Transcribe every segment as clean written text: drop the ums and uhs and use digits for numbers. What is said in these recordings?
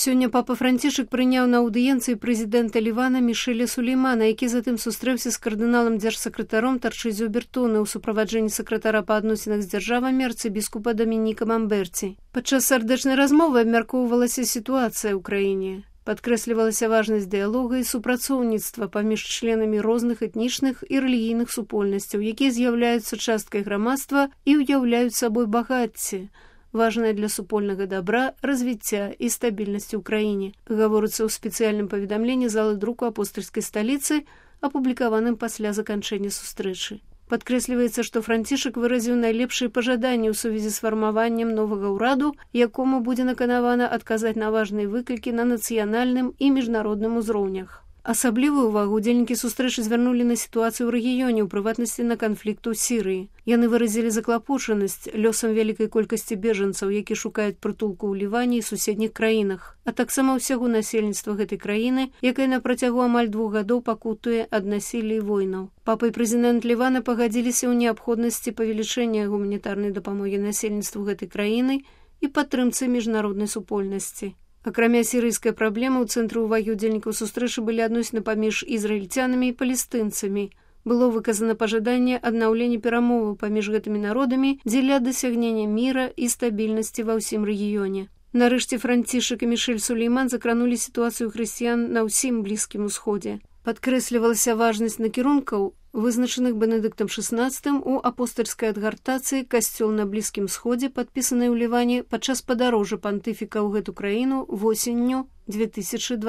Сёння папа Францішак прыняў на аўдыенцыі прэзідэнта Лівана Мішэля Сулеймана, які затым сустрэўся з кардыналам дзяржсакратаром Тарчызіо Бертоне ў суправаджэнні сакратара па адносінах з дзяржавамі арцыбіскупа Дамініка Мамберці. Падчас сардэчнай размовы абмяркоўвалася сітуацыя ў краіне. Падкрэслівалася важнасць дыялога і супрацоўніцтва паміж членамі розных этнічных і рэлігійных супольнасцяў, якія з'яўляюцца часткай грамадства і ўяўляюць сабой багацце, важная для супольнага добра, развіцця і стабільнасці ў краіне, гаворыцца ў спецыяльным паведамленні залы друку апостальскай сталіцы, апублікаваным пасля заканчэння сустрэчы. Падкрэсліваецца, што Францішак выразіў найлепшыя пажаданні ў сувязі з фармаваннем новага ўраду, якому будзе наканавана адказаць на важныя выклікі на нацыянальным і міжнародным узроўнях. Асаблівую ўвагу удзельнікі сустрэчы звярнулі на сітуацыю ў рэгіёне, у прыватнасці на канфлікт у Сірыі. Яны выразілі заклапочанасць лёсам вялікай колькасці бежанцаў, які шукаюць прытулку ў Ліване і суседніх краінах, а таксама ўсяго насельніцтва гэтай краіны, якая на працягу амаль 2 гадоў пакутуе ад насілля і войнаў. Папа і прэзідэнт Лівана пагадзіліся ў неабходнасці павелічэння гуманітарнай дапамогі насельніцтву гэтай краіны і падтрымцы міжнароднай супольнасці. Акрамя сірыйскай праблемы, у цэнтры ўвагі удзельнікаў сустрэчы былі адносіны паміж ізраільцянамі і палестынцамі. Было выказана пажаданне аднаўлення перамоваў паміж гэтымі народамі дзеля дасягнення міра і стабільнасці ва ўсім рэгіёне. Нарэшце Францішак і Мішэль Сулейман закранулі сітуацыю хрысціян на ўсім Блізкім Усходзе. Падкрэслівалася важнасць накірункаў, вызначаных Бенедыктам XVI у апостальскай адгартацыі «Касцёл на Блізкім Сходзе», падпісанай у Ліване падчас падарожжа пантыфіка ў гэту краіну восенню 2012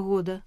года.